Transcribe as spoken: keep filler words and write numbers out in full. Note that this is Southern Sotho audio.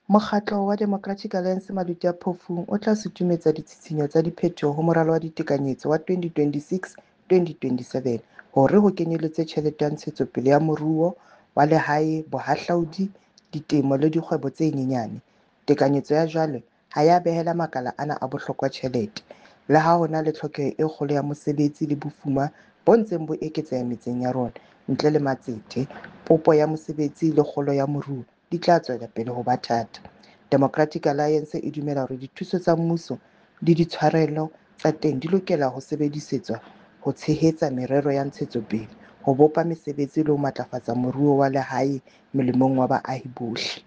Mokgatlo wa Democratic Alliance Maluti-a-Phofung o tla sutumetsa ditshitshinyo tsa diphetoho ho Moralo wa Ditekanyetso wa twenty twenty-six twenty twenty-seven hore ho kenyeletswe tjhelete ya ntshetsopele ya moruo wa lehae, bohahlaudi, ditemo le dikgwebo tse nyenyane. Tekanyetso ya jwale ha ya behela makala ana a bohlokwa tjhelete. Le ha ho na le tlhokeho e kgolo ya mosebetsi le bofuma bo ntseng bo eketseha metseng ya rona, ntle le matsete, popo ya mosebetsi le kgolo ya moruo di tla tswela pele ho ba thata. Democratic Alliance e dumela hore dithuso tsa mmuso le ditshwarelo tsa teng di lokela ho sebedisetswa ho tshehetsa merero ya ntshetsopele, ho bopa mesebetsi le ho matlafatsa moruo wa lehae molemong wa baahi bohle.